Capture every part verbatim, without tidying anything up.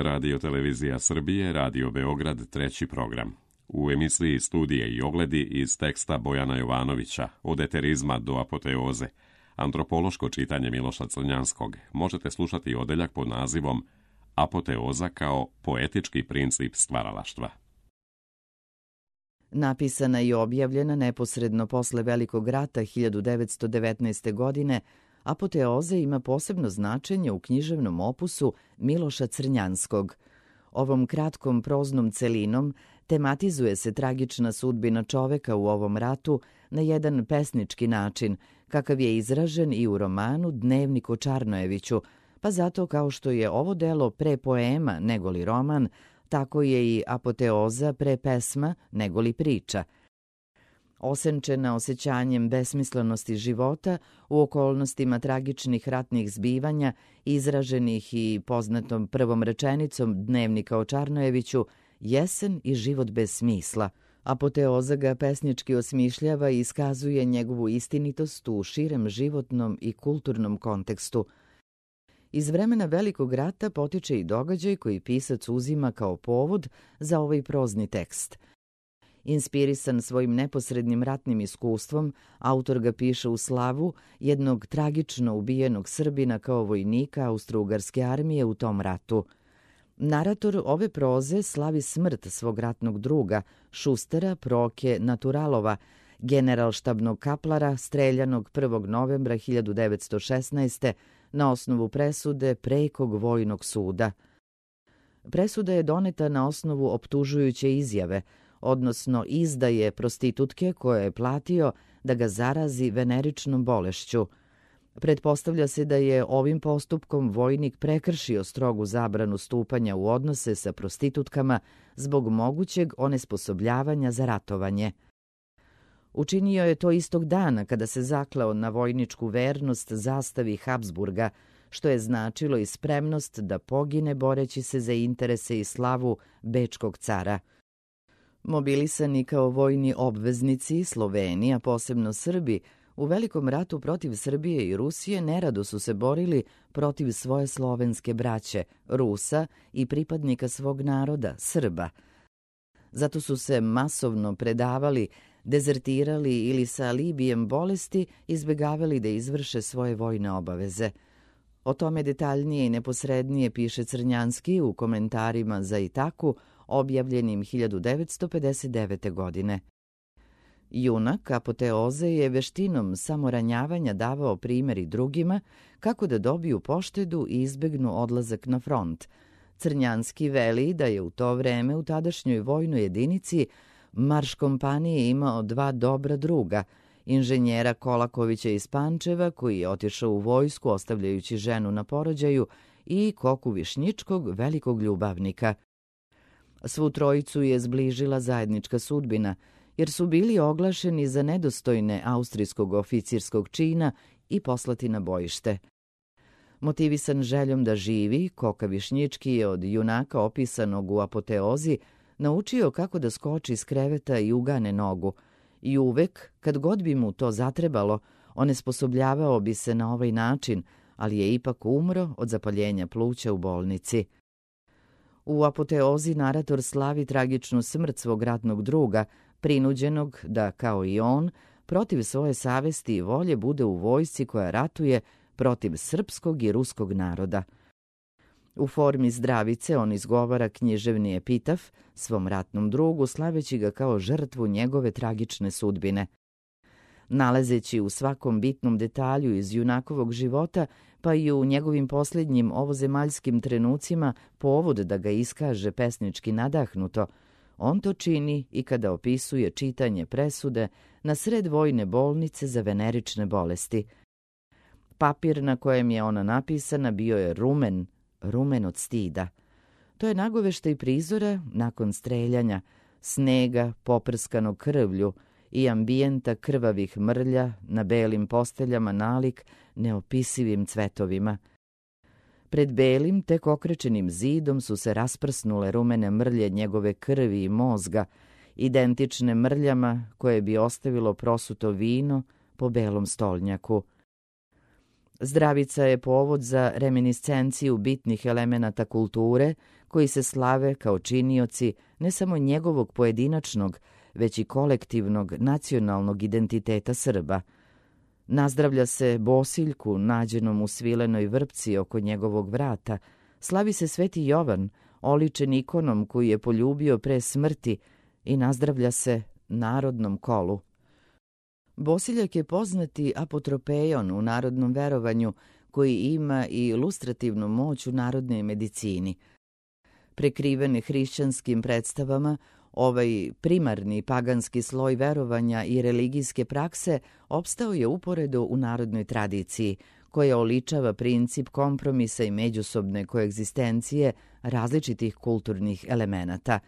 Radio Televizija Srbije, Radio Beograd, treći program. U emisiji Studije i ogledi iz teksta Bojana Jovanovića, od eterizma do apoteoze, antropološko čitanje Miloša Crnjanskog, možete slušati odeljak pod nazivom Apoteoza kao poetički princip stvaralaštva. Napisana i objavljena neposredno posle Velikog rata hiljadu devetsto devetnaeste. godine, Apoteoza ima posebno značenje u književnom opusu Miloša Crnjanskog. Ovom kratkom proznom celinom tematizuje se tragična sudbina čoveka u ovom ratu na jedan pesnički način, kakav je izražen i u romanu Dnevnik o Čarnojeviću, pa zato kao što je ovo delo pre poema negoli roman, tako je i Apoteoza pre pesma negoli priča. Osenčena osjećanjem besmislenosti života u okolnostima tragičnih ratnih zbivanja, izraženih i poznatom prvom rečenicom Dnevnika o Čarnojeviću, jesen i život bez smisla. Apoteoza ga pesnički osmišljava i iskazuje njegovu istinitost u širem životnom i kulturnom kontekstu. Iz vremena Velikog rata potiče i događaj koji pisac uzima kao povod za ovaj prozni tekst. Inspirisan svojim neposrednim ratnim iskustvom, autor ga piše u slavu jednog tragično ubijenog Srbina kao vojnika Austro-Ugarske armije u tom ratu. Narator ove proze slavi smrt svog ratnog druga, šustera Proke Naturalova, generalštabnog kaplara streljanog prvog novembra hiljadu devetsto šesnaeste. na osnovu presude Prekog vojnog suda. Presuda je doneta na osnovu optužujuće izjave, odnosno izdaje prostitutke koje je platio da ga zarazi veneričnom bolešću. Pretpostavlja se da je ovim postupkom vojnik prekršio strogu zabranu stupanja u odnose sa prostitutkama zbog mogućeg onesposobljavanja za ratovanje. Učinio je to istog dana kada se zakleo na vojničku vernost zastavi Habsburga, što je značilo i spremnost da pogine boreći se za interese i slavu bečkog cara. Mobilisani kao vojni obveznici, Sloveni, a posebno Srbi, u Velikom ratu protiv Srbije i Rusije nerado su se borili protiv svoje slovenske braće, Rusa i pripadnika svog naroda, Srba. Zato su se masovno predavali, dezertirali ili sa alibijem bolesti izbegavali da izvrše svoje vojne obaveze. O tome detaljnije i neposrednije piše Crnjanski u komentarima za Itaku, objavljenim hiljadu devetsto pedeset devete. godine. Junak Apoteoze je veštinom samoranjavanja davao primjer i drugima kako da dobiju poštedu i izbegnu odlazak na front. Crnjanski veli da je u to vreme u tadašnjoj vojnoj jedinici marš kompanije imao dva dobra druga, inženjera Kolakovića iz Pančeva, koji je otišao u vojsku ostavljajući ženu na porođaju, i Koku Višnjičkog, velikog ljubavnika. Svu trojicu je zbližila zajednička sudbina, jer su bili oglašeni za nedostojne austrijskog oficirskog čina i poslati na bojište. Motivisan željom da živi, Koka Višnjički je od junaka opisanog u Apoteozi naučio kako da skoči iz kreveta i ugane nogu, i uvek, kad god bi mu to zatrebalo, onesposobljavao bi se na ovaj način, ali je ipak umro od zapaljenja pluća u bolnici. U Apoteozi narator slavi tragičnu smrt svog ratnog druga, prinuđenog da, kao i on, protiv svoje savesti i volje bude u vojsci koja ratuje protiv srpskog i ruskog naroda. U formi zdravice on izgovara književni epitaf svom ratnom drugu, slaveći ga kao žrtvu njegove tragične sudbine. Nalazeći u svakom bitnom detalju iz junakovog života, pa i u njegovim posljednjim ovozemaljskim trenucima povod da ga iskaže pesnički nadahnuto, on to čini i kada opisuje čitanje presude na sred vojne bolnice za venerične bolesti. Papir na kojem je ona napisana bio je rumen, rumen od stida. To je nagoveštaj prizora nakon streljanja, snega poprskanog krvlju i ambijenta krvavih mrlja na belim posteljama nalik neopisivim cvetovima. Pred belim, tek okrečenim zidom su se rasprsnule rumene mrlje njegove krvi i mozga, identične mrljama koje bi ostavilo prosuto vino po belom stolnjaku. Zdravica je povod za reminiscenciju bitnih elemenata kulture koji se slave kao činioci ne samo njegovog pojedinačnog, već i kolektivnog nacionalnog identiteta Srba. Nazdravlja se Bosiljku nađenom u svilenoj vrpci oko njegovog vrata, slavi se Sveti Jovan, oličen ikonom koju je poljubio pre smrti, i nazdravlja se narodnom kolu. Bosiljak je poznati apotropeion u narodnom verovanju koji ima i ilustrativnu moć u narodnoj medicini. Prekrivene hrišćanskim predstavama, ovaj primarni paganski sloj verovanja i religijske prakse opstao je uporedo u narodnoj tradiciji, koja oličava princip kompromisa i međusobne koegzistencije različitih kulturnih elemenata.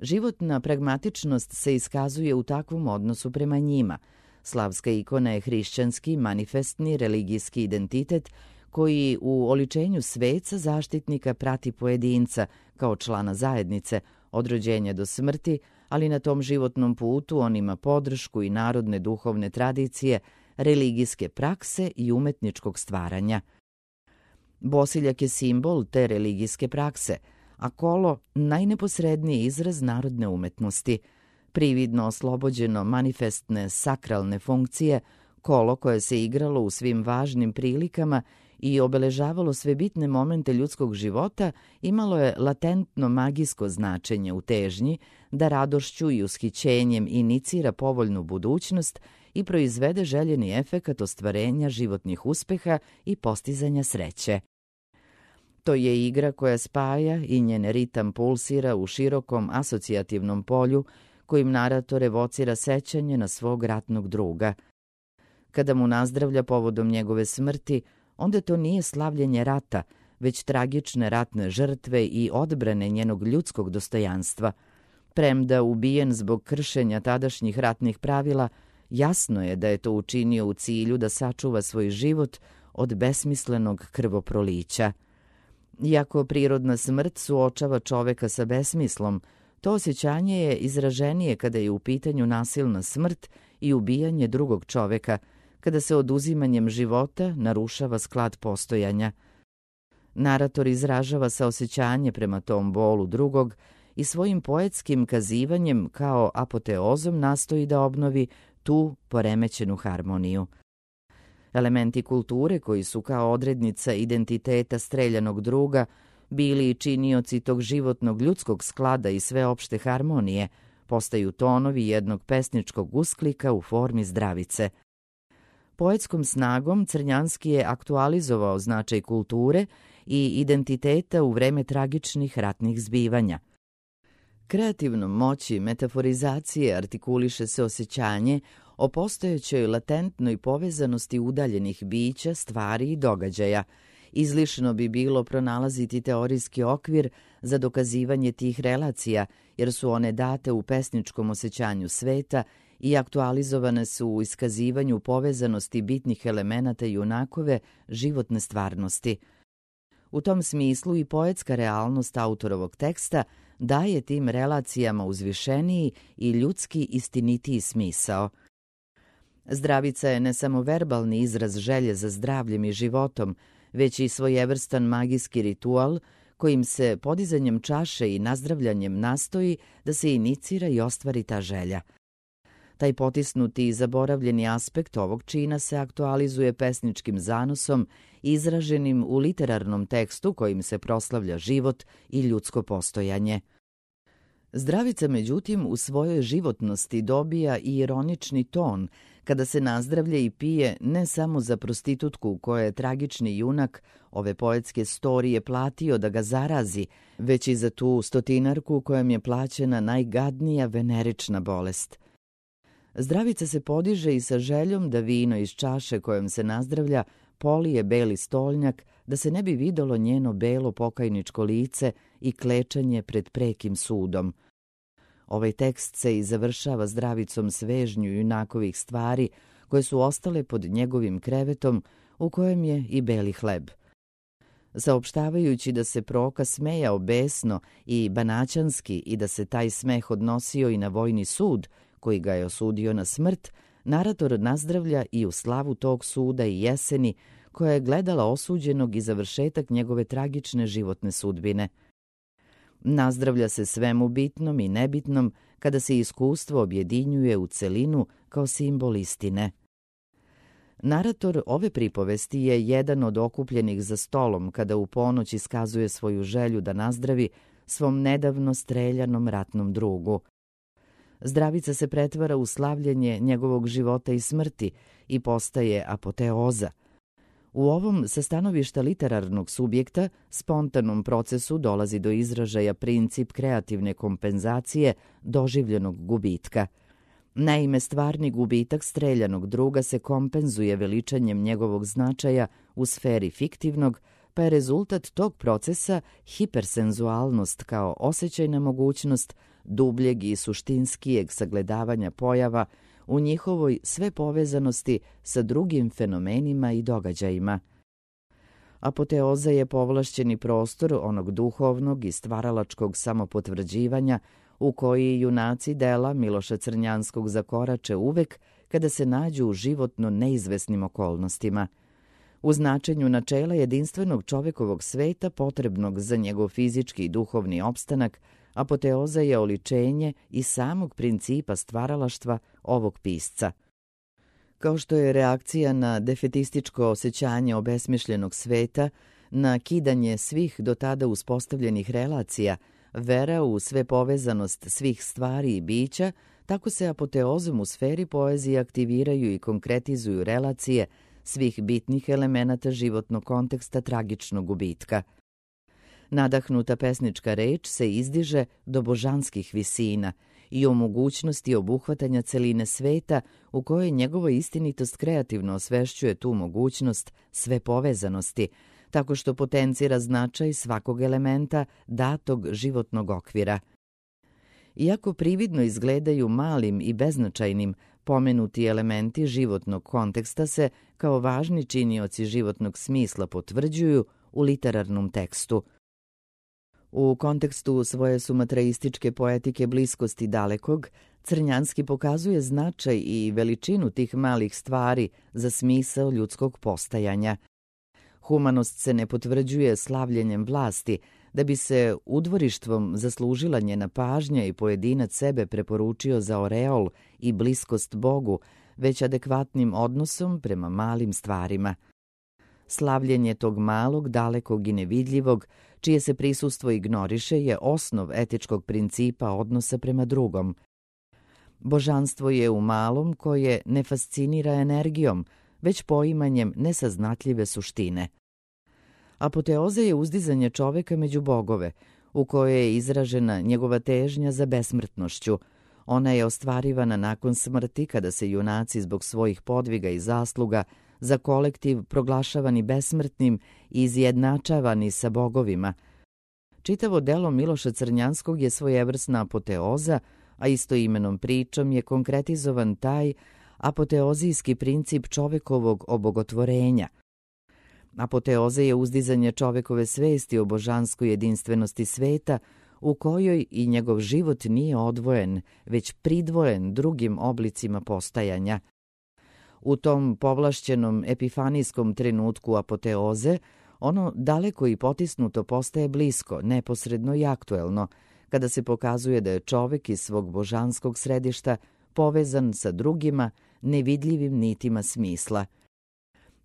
Životna pragmatičnost se iskazuje u takvom odnosu prema njima. Slavska ikona je hrišćanski, manifestni, religijski identitet koji u oličenju sveca zaštitnika prati pojedinca kao člana zajednice od rođenja do smrti, ali na tom životnom putu on ima podršku i narodne duhovne tradicije, religijske prakse i umetničkog stvaranja. Bosiljak je simbol te religijske prakse, a kolo najneposredniji izraz narodne umetnosti. Prividno oslobođeno manifestne sakralne funkcije, kolo koje se igralo u svim važnim prilikama i obeležavalo sve bitne momente ljudskog života, imalo je latentno magijsko značenje u težnji da radošću i ushićenjem inicira povoljnu budućnost i proizvede željeni efekat ostvarenja životnih uspeha i postizanja sreće. To je igra koja spaja i njen ritam pulsira u širokom asocijativnom polju kojim narator evocira sećanje na svog ratnog druga. Kada mu nazdravlja povodom njegove smrti, onda to nije slavljenje rata, već tragične ratne žrtve i odbrane njenog ljudskog dostojanstva. Premda ubijen zbog kršenja tadašnjih ratnih pravila, jasno je da je to učinio u cilju da sačuva svoj život od besmislenog krvoprolića. Iako prirodna smrt suočava čoveka sa besmislom, to osjećanje je izraženije kada je u pitanju nasilna smrt i ubijanje drugog čoveka, kada se oduzimanjem života narušava sklad postojanja. Narator izražava saosećanje prema tom bolu drugog i svojim poetskim kazivanjem kao apoteozom nastoji da obnovi tu poremećenu harmoniju. Elementi kulture koji su kao odrednica identiteta streljanog druga bili i činioci tog životnog ljudskog sklada i sveopšte harmonije, postaju tonovi jednog pesničkog usklika u formi zdravice. Poetskom snagom Crnjanski je aktualizovao značaj kulture i identiteta u vreme tragičnih ratnih zbivanja. Kreativnom moći metaforizacije artikuliše se osjećanje o postojećoj latentnoj povezanosti udaljenih bića, stvari i događaja. Izlišno bi bilo pronalaziti teorijski okvir za dokazivanje tih relacija, jer su one date u pesničkom osjećanju sveta i aktualizovane su u iskazivanju povezanosti bitnih elemenata junakove životne stvarnosti. U tom smislu i poetska realnost autorovog teksta daje tim relacijama uzvišeniji i ljudski istinitiji smisao. Zdravica je ne samo verbalni izraz želje za zdravljem i životom, već i svojevrstan magijski ritual kojim se podizanjem čaše i nazdravljanjem nastoji da se inicira i ostvari ta želja. Taj potisnuti i zaboravljeni aspekt ovog čina se aktualizuje pesničkim zanosom izraženim u literarnom tekstu kojim se proslavlja život i ljudsko postojanje. Zdravica, međutim, u svojoj životnosti dobija i ironični ton kada se nazdravlja i pije ne samo za prostitutku koja je tragični junak ove poetske storije platio da ga zarazi, već i za tu stotinarku kojom je plaćena najgadnija venerična bolest. Zdravica se podiže i sa željom da vino iz čaše kojom se nazdravlja polije beli stolnjak, da se ne bi videlo njeno belo pokajničko lice i klečanje pred prekim sudom. Ovaj tekst se i završava zdravicom svežnju junakovih stvari koje su ostale pod njegovim krevetom u kojem je i beli hleb. Saopštavajući da se Proka smejao besno i banaćanski i da se taj smeh odnosio i na vojni sud koji ga je osudio na smrt, narator nazdravlja i u slavu tog suda i jeseni koja je gledala osuđenog i završetak njegove tragične životne sudbine. Nazdravlja se svemu bitnom i nebitnom kada se iskustvo objedinjuje u celinu kao simbol istine. Narator ove pripovesti je jedan od okupljenih za stolom kada u ponoć iskazuje svoju želju da nazdravi svom nedavno streljanom ratnom drugu. Zdravica se pretvara u slavljenje njegovog života i smrti i postaje apoteoza. U ovom, sa stanovišta literarnog subjekta, spontanom procesu dolazi do izražaja princip kreativne kompenzacije doživljenog gubitka. Naime, stvarni gubitak streljanog druga se kompenzuje veličanjem njegovog značaja u sferi fiktivnog, pa je rezultat tog procesa hipersenzualnost kao osjećajna mogućnost dubljeg i suštinskijeg sagledavanja pojava u njihovoj sve povezanosti sa drugim fenomenima i događajima. Apoteoza je povlašćeni prostor onog duhovnog i stvaralačkog samopotvrđivanja u koji junaci dela Miloša Crnjanskog zakorače uvek kada se nađu u životno neizvesnim okolnostima. U značenju načela jedinstvenog čovekovog sveta potrebnog za njegov fizički i duhovni opstanak, apoteoza je oličenje i samog principa stvaralaštva ovog pisca. Kao što je reakcija na defetističko osjećanje obesmišljenog sveta, na kidanje svih do tada uspostavljenih relacija, vera u sve povezanost svih stvari i bića, tako se apoteozom u sferi poezije aktiviraju i konkretizuju relacije svih bitnih elemenata životnog konteksta tragičnog gubitka. Nadahnuta pesnička reč se izdiže do božanskih visina i o mogućnosti obuhvatanja celine sveta u kojoj njegova istinitost kreativno osvešćuje tu mogućnost sve povezanosti, tako što potencira značaj svakog elementa datog životnog okvira. Iako prividno izgledaju malim i beznačajnim, pomenuti elementi životnog konteksta se kao važni činioci životnog smisla potvrđuju u literarnom tekstu. U kontekstu svoje sumatraističke poetike bliskosti dalekog, Crnjanski pokazuje značaj i veličinu tih malih stvari za smisao ljudskog postajanja. Humanost se ne potvrđuje slavljenjem vlasti, da bi se udvorištvom zaslužila njena pažnja i pojedinac sebe preporučio za oreol i bliskost Bogu, već adekvatnim odnosom prema malim stvarima. Slavljenje tog malog, dalekog i nevidljivog, čije se prisustvo ignoriše, je osnov etičkog principa odnosa prema drugom. Božanstvo je u malom koje ne fascinira energijom, već poimanjem nesaznatljive suštine. Apoteoza je uzdizanje čoveka među bogove, u kojoj je izražena njegova težnja za besmrtnošću. Ona je ostvarivana nakon smrti, kada se junaci zbog svojih podviga i zasluga za kolektiv proglašavani besmrtnim i izjednačavani sa bogovima. Čitavo delo Miloša Crnjanskog je svojevrsna apoteoza, a istoimenom pričom je konkretizovan taj apoteozijski princip čovekovog obogotvorenja. Apoteoza je uzdizanje čovekove svesti o božanskoj jedinstvenosti sveta, u kojoj i njegov život nije odvojen, već pridvojen drugim oblicima postajanja. U tom povlašćenom epifanijskom trenutku apoteoze, ono daleko i potisnuto postaje blisko, neposredno i aktuelno, kada se pokazuje da je čovek iz svog božanskog središta povezan sa drugima nevidljivim nitima smisla.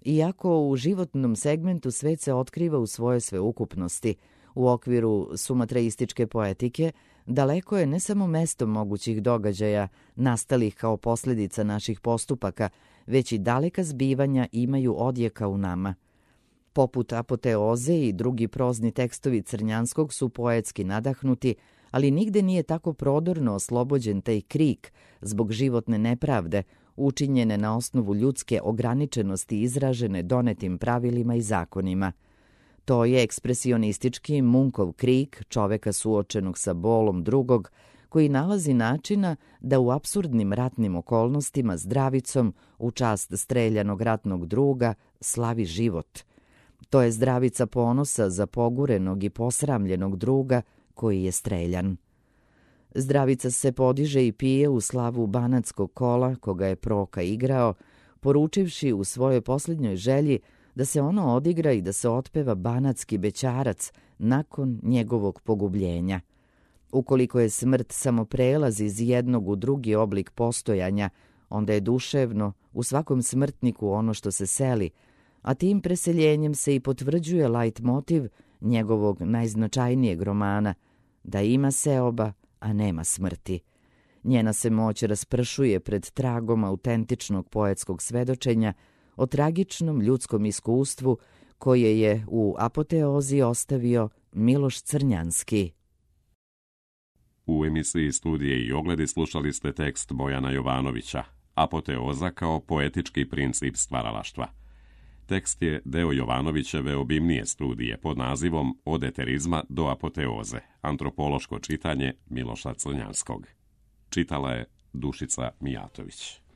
Iako u životnom segmentu svet se otkriva u svojoj sveukupnosti, u okviru sumatraističke poetike, daleko je ne samo mesto mogućih događaja nastalih kao posljedica naših postupaka, već i daleka zbivanja imaju odjeka u nama. Poput apoteoze i drugi prozni tekstovi Crnjanskog su poetski nadahnuti, ali nigde nije tako prodorno oslobođen taj krik zbog životne nepravde, učinjene na osnovu ljudske ograničenosti izražene donetim pravilima i zakonima. To je ekspresionistički Munkov krik čoveka suočenog sa bolom drugog, koji nalazi načina da u apsurdnim ratnim okolnostima zdravicom u čast streljanog ratnog druga slavi život. To je zdravica ponosa za pogurenog i posramljenog druga koji je streljan. Zdravica se podiže i pije u slavu banatskog kola koga je Proka igrao, poručivši u svojoj posljednjoj želji da se ono odigra i da se otpeva banatski bećarac nakon njegovog pogubljenja. Ukoliko je smrt samo prelaz iz jednog u drugi oblik postojanja, onda je duševno u svakom smrtniku ono što se seli, a tim preseljenjem se i potvrđuje lajt motiv njegovog najznačajnijeg romana, da ima seoba, a nema smrti. Njena se moć raspršuje pred tragom autentičnog poetskog svedočenja o tragičnom ljudskom iskustvu koje je u apoteozi ostavio Miloš Crnjanski. U emisiji Studije i ogledi slušali ste tekst Bojana Jovanovića, Apoteoza kao poetički princip stvaralaštva. Tekst je deo Jovanovićeve obimnije studije pod nazivom Od eterizma do apoteoze, antropološko čitanje Miloša Crnjanskog. Čitala je Dušica Mijatović.